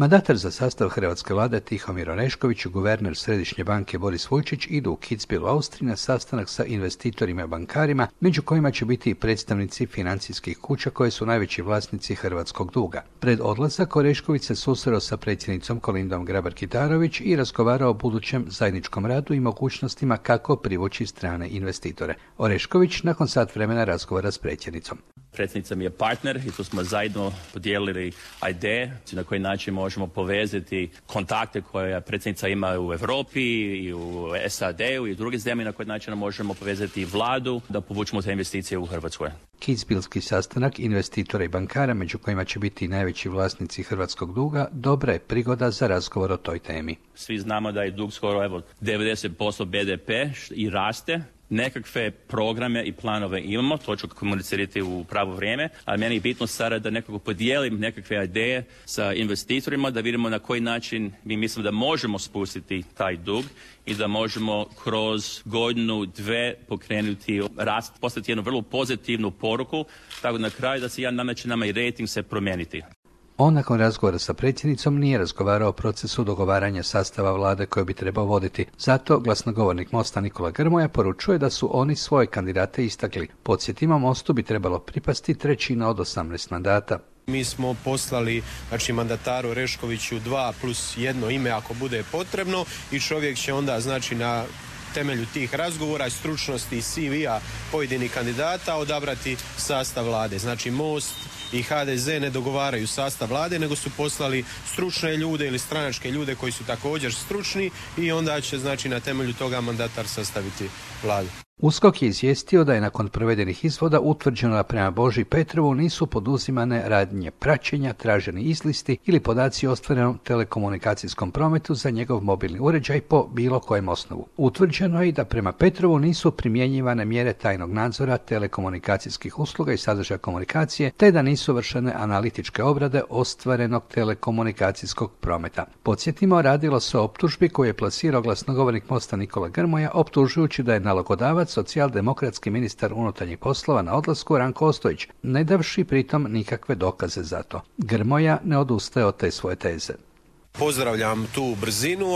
Mandatar za sastav hrvatske vlade Tihomir Orešković i guverner Središnje banke Boris Vujčić idu u Kitzbühel u Austriji na sastanak sa investitorima i bankarima, među kojima će biti i predstavnici financijskih kuća koje su najveći vlasnici hrvatskog duga. Pred odlazak Orešković se susreo sa predsjednicom Kolindom Grabar-Kitarović i razgovarao o budućem zajedničkom radu i mogućnostima kako privući strane investitore. Orešković nakon sat vremena razgovara s predsjednicom. Predsjednica mi je partner i tu smo zajedno podijelili ideje na koji način možemo povezati kontakte koje predsjednica ima u Europi i u SAD-u i u drugim zemljama, na koji način možemo povezati vladu da povučemo te investicije u Hrvatskoj. Kitzbühelski sastanak investitora i bankara, među kojima će biti i najveći vlasnici hrvatskog duga, dobra je prigoda za razgovor o toj temi. Svi znamo da je dug skoro 90% BDP i raste. Nekakve programe i planove imamo, to ću komunicirati u pravo vrijeme, ali meni je bitno sada da nekako podijelim nekakve ideje sa investitorima, da vidimo na koji način mi mislimo da možemo spustiti taj dug i da možemo kroz godinu, dve pokrenuti rast, poslati jednu vrlo pozitivnu poruku, tako na kraju da se nameće nama i rating se promijeniti. On nakon razgovora sa predsjednicom nije razgovarao o procesu dogovaranja sastava vlade koju bi trebao voditi. Zato glasnogovornik Mosta Nikola Grmoja poručuje da su oni svoje kandidate istakli. Podsjetimo, Mostu bi trebalo pripasti 1/3 od 18 mandata. Mi smo poslali mandataru Oreškoviću 2+1 ime ako bude potrebno i čovjek će onda na temelju tih razgovora i stručnosti i CV-a pojedinih kandidata odabrati sastav vlade. Most i HDZ ne dogovaraju sastav vlade, nego su poslali stručne ljude ili stranačke ljude koji su također stručni i onda će na temelju toga mandatar sastaviti vladu. USKOK je izvijestio da je nakon provedenih izvoda utvrđeno da prema Boži Petrovu nisu poduzimane radnje praćenja, traženi izlisti ili podaci o ostvarenom telekomunikacijskom prometu za njegov mobilni uređaj po bilo kojem osnovu. Utvrđeno je i da prema Petrovu nisu primjenjivane mjere tajnog nadzora telekomunikacijskih usluga i sadržaja komunikacije, te da nisu vršene analitičke obrade ostvarenog telekomunikacijskog prometa. Podsjetimo, radilo se o optužbi koju je plasirao glasnogovornik Mosta Nikola Grmoja, optužujući da je nalogodavac socijaldemokratski ministar unutarnjih poslova na odlasku Ranko Ostojić, ne davši pritom nikakve dokaze za to. Grmoja ne odustaje od te svoje teze. Pozdravljam tu brzinu,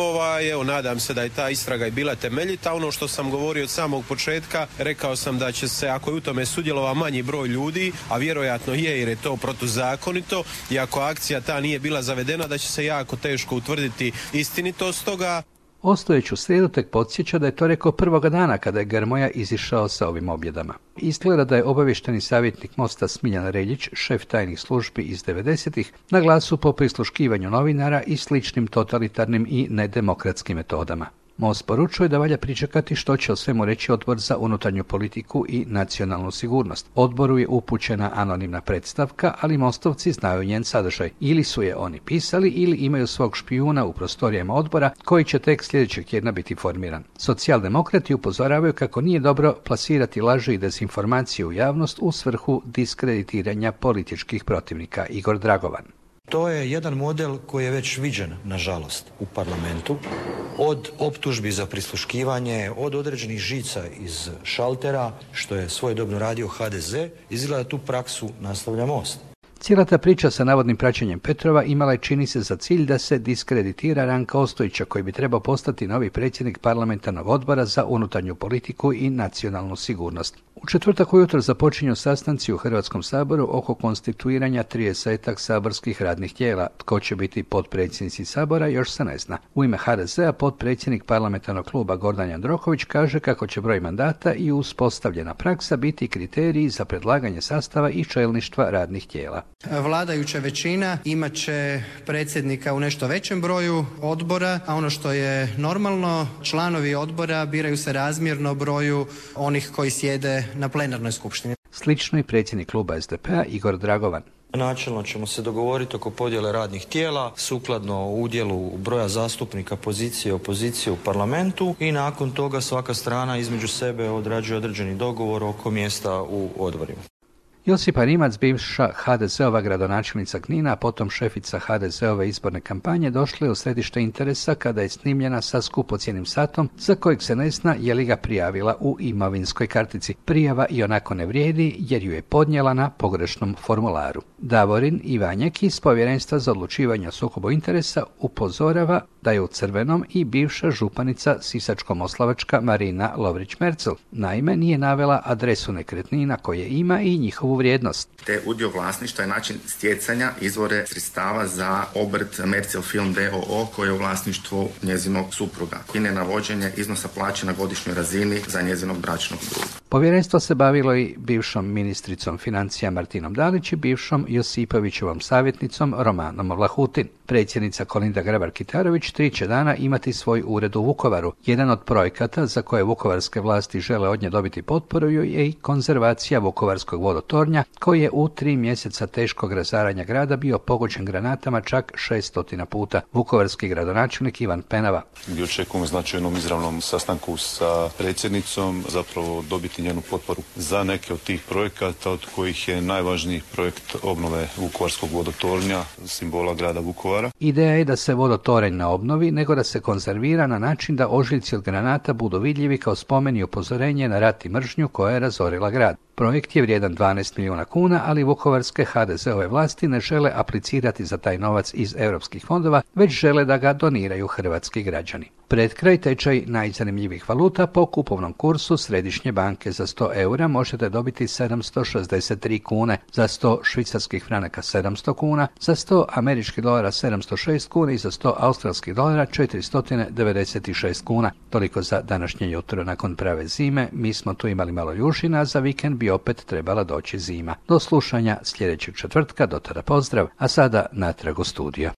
nadam se da je ta istraga i bila temeljita. Ono što sam govorio od samog početka, rekao sam da će se, ako je u tome sudjelovao manji broj ljudi, a vjerojatno je jer je to protuzakonito, i ako akcija ta nije bila zavedena, da će se jako teško utvrditi istinitost toga. Ostojić u srijedu tek podsjeća da je to rekao prvoga dana kada je Grmoja izišao sa ovim objedama. Izgleda da je obavješteni savjetnik Mosta Smiljan Reljić, šef tajnih službi iz 90-ih, na glasu po prisluškivanju novinara i sličnim totalitarnim i nedemokratskim metodama. Most poručuje da valja pričekati što će o svemu reći Odbor za unutarnju politiku i nacionalnu sigurnost. Odboru je upućena anonimna predstavka, ali Mostovci znaju njen sadržaj. Ili su je oni pisali ili imaju svog špijuna u prostorijama odbora koji će tek sljedećeg tjedna biti formiran. Socijaldemokrati upozoravaju kako nije dobro plasirati laži i dezinformacije u javnost u svrhu diskreditiranja političkih protivnika. Igor Dragovan. To je jedan model koji je već viđen, nažalost, u parlamentu. Od optužbi za prisluškivanje, od određenih žica iz šaltera, što je svojedobno radio HDZ, izgleda tu praksu nastavlja Most. Cijela ta priča sa navodnim praćenjem Petrova imala je, čini se, za cilj da se diskreditira Ranka Ostojića, koji bi trebao postati novi predsjednik parlamentarnog odbora za unutarnju politiku i nacionalnu sigurnost. U četvrtak ujutro započinju sastanci u Hrvatskom saboru oko konstituiranja 30-ak saborskih radnih tijela. Tko će biti potpredsjednici sabora još se ne zna. U ime HDZ-a potpredsjednik parlamentarnog kluba Gordan Jandroković kaže kako će broj mandata i uspostavljena praksa biti kriteriji za predlaganje sastava i čelništva radnih tijela. Vladajuća većina imat će predsjednika u nešto većem broju odbora, a ono što je normalno, članovi odbora biraju se razmjerno broju onih koji sjede na plenarnoj skupštini. Slično i predsjednik kluba SDP-a Igor Dragovan. Načelno ćemo se dogovoriti oko podjele radnih tijela, sukladno udjelu broja zastupnika pozicije i opozicije u parlamentu, i nakon toga svaka strana između sebe odrađuje određeni dogovor oko mjesta u odborima. Josipa Rimac, bivša HDZ-ova gradonačelnica Knina, a potom šefica HDZ-ove izborne kampanje, došla je u središte interesa kada je snimljena sa skupocjenim satom za kojeg se ne zna je li ga prijavila u imovinskoj kartici. Prijava i onako ne vrijedi jer ju je podnijela na pogrešnom formularu. Davorin Ivanjek iz Povjerenstva za odlučivanje o sukobu interesa upozorava da je u crvenom i bivša županica Sisačko-moslavačka Marina Lovrić-Merzel. Naime, nije navela adresu nekretnina koje ima i njihovu vrijednost. Te udio vlasništva je način stjecanja izvore sredstava za obrt Merzel Film d.o.o. koji je u vlasništvu njezinog supruga i nenavođenje iznosa plaće na godišnjoj razini za njezinog bračnog druga. Povjerenstvo se bavilo i bivšom ministricom financija Martinom Dalić i bivšom Josipovićevom savjetnicom Romanom Vlahutin. Predsjednica Kolinda Grabar-Kitarović 3 će dana imati svoj ured u Vukovaru. Jedan od projekata za koje vukovarske vlasti žele od nje dobiti potporu je i konzervacija vukovarskog vodotornja koji je u 3 mjeseca teškog razaranja grada bio pogođen granatama čak 600 puta. Vukovarski gradonačelnik Ivan Penava. Gdje očekujemo značajnom izravnom sastanku sa predsjednicom zapravo dobiti njenu potporu za neke od tih projekata, od kojih je najvažniji projekt obnove vukovarskog vodotornja, simbola grada Vukovara. Ideja je da se vodotoranj ne obnovi, nego da se konzervira na način da ožiljci od granata budu vidljivi kao spomen i upozorenje na rat i mržnju koja je razorila grad. Projekt je vrijedan 12 milijuna kuna, ali vukovarske HDZ-ove vlasti ne žele aplicirati za taj novac iz europskih fondova, već žele da ga doniraju hrvatski građani. Pred kraj tečaj najzanimljivih valuta po kupovnom kursu Središnje banke za 100 eura možete dobiti 763 kune, za 100 švicarskih franaka 700 kuna, za 100 američkih dolara 706 kuna i za 100 australskih dolara 496 kuna. Toliko za današnje jutro. Nakon prave zime mi smo tu imali malo ljušina, a za vikend bi opet trebala doći zima. Do slušanja sljedećeg četvrtka, do tada pozdrav, a sada natrag u studio.